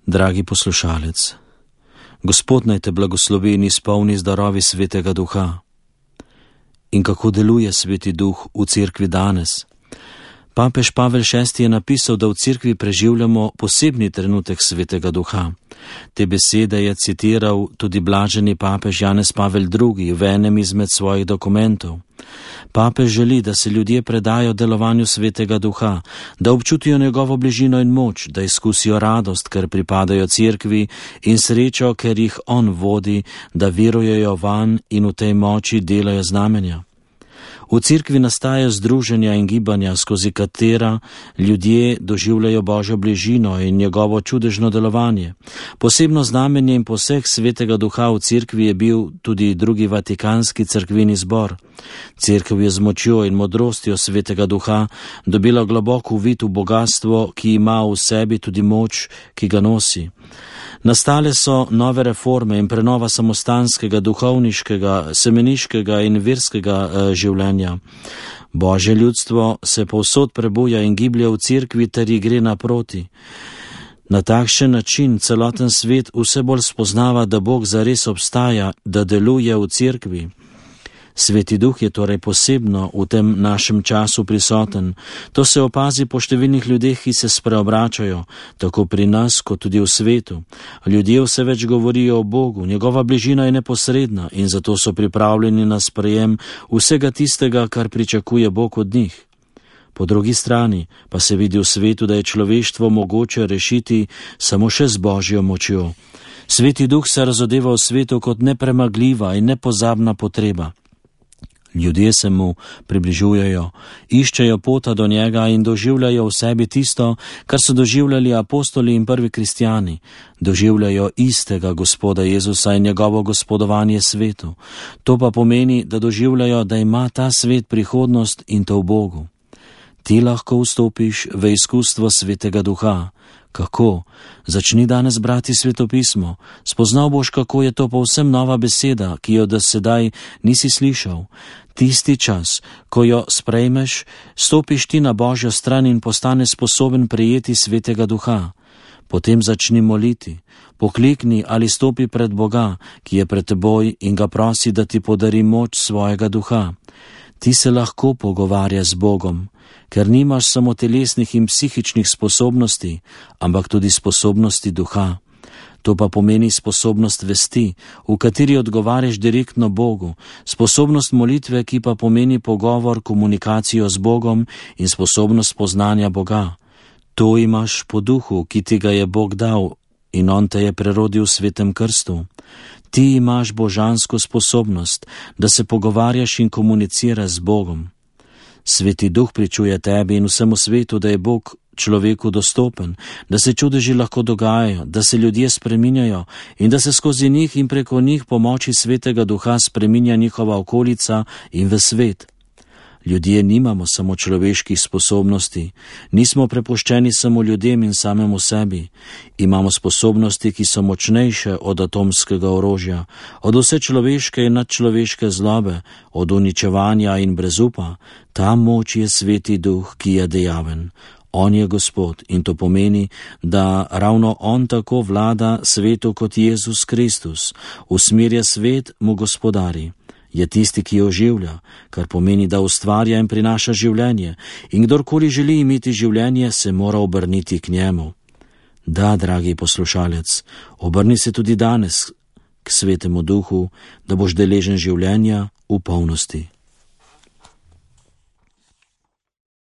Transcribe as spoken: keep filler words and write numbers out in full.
Dragi poslušalec, Gospod naj te blagoslovi in izpolni z darovi Svetega Duha. In kako deluje Sveti Duh v cerkvi danes? Papež Pavel šesti je napisal, da v cerkvi preživljamo posebni trenutek Svetega Duha. Te besede je citiral tudi blaženi papež Janez Pavel drugi v enem izmed svojih dokumentov. Papež želi, da se ljudje predajo delovanju Svetega Duha, da občutijo njegovo bližino in moč, da izkusijo radost, ker pripadajo cerkvi, in srečo, ker jih on vodi, da verujejo vanj in v tej moči delajo znamenja. V cerkvi nastajajo združenja in gibanja, skozi katera ljudje doživljajo Božjo bližino in njegovo čudežno delovanje. Posebno znamenje in poseg Svetega Duha v cerkvi je bil tudi drugi vatikanski cerkveni zbor. Cerkev je z močjo in modrostjo Svetega Duha dobila globok uvid v bogatstvo, ki ima v sebi tudi moč, ki ga nosi. Nastale so nove reforme in prenova samostanskega, duhovniškega, semeniškega in verskega eh, življenja. Božje ljudstvo se povsod prebuja in giblje v cerkvi ter ji gre naproti. Na takšen način celoten svet vse bolj spoznava, da Bog zares obstaja, da deluje v cerkvi. Sveti Duh je torej posebno v tem našem času prisoten. To se opazi po številnih ljudeh, ki se spreobračajo, tako pri nas kot tudi v svetu. Ljudje vse več govorijo o Bogu, njegova bližina je neposredna in zato so pripravljeni na sprejem vsega tistega, kar pričakuje Bog od njih. Po drugi strani pa se vidi v svetu, da je človeštvo mogoče rešiti samo še z Božjo močjo. Sveti Duh se razodeva v svetu kot nepremagljiva in nepozabna potreba. Ljudje se mu približujejo, iščejo pota do njega in doživljajo v sebi tisto, kar so doživljali apostoli in prvi kristjani. Doživljajo istega Gospoda Jezusa in njegovo gospodovanje svetu. To pa pomeni, da doživljajo, da ima ta svet prihodnost in to v Bogu. Ti lahko vstopiš v izkustvo Svetega Duha. Kako? Začni danes brati svetopismo. Spoznal boš, kako je to povsem nova beseda, ki jo do sedaj nisi slišal. Tisti čas, ko jo sprejmeš, stopiš ti na Božjo stran in postaneš sposoben prejeti Svetega Duha. Potem začni moliti. Poklikni ali stopi pred Boga, ki je pred teboj, in ga prosi, da ti podari moč svojega duha. Ti se lahko pogovarjaš z Bogom, ker nimaš samo telesnih in psihičnih sposobnosti, ampak tudi sposobnosti duha. To pa pomeni sposobnost vesti, v kateri odgovarjaš direktno Bogu, sposobnost molitve, ki pa pomeni pogovor, komunikacijo z Bogom in sposobnost poznanja Boga. To imaš po duhu, ki ti ga je Bog dal in on te je prerodil v svetem krstu. Ti imaš božansko sposobnost, da se pogovarjaš in komuniciraš z Bogom. Sveti Duh pričuje tebi in vsemu svetu, da je Bog človeku dostopen, da se čudeži lahko dogajajo, da se ljudje spreminjajo in da se skozi njih in preko njih po moči Svetega Duha spreminja njihova okolica in v svet. Ljudje nimamo samo človeških sposobnosti, nismo prepuščeni samo ljudem in samemu sebi. Imamo sposobnosti, ki so močnejše od atomskega orožja, od vse človeške in nadčloveške zlobe, od uničevanja in brezupa. Ta moč je Sveti Duh, ki je dejaven. On je Gospod in to pomeni, da ravno on tako vlada svetu kot Jezus Kristus, usmerja svet, mu gospodari. Je tisti, ki jo oživlja, kar pomeni, da ustvarja in prinaša življenje, in kdorkoli želi imeti življenje, se mora obrniti k njemu. Da, dragi poslušalec, obrni se tudi danes k Svetemu Duhu, da boš deležen življenja v polnosti.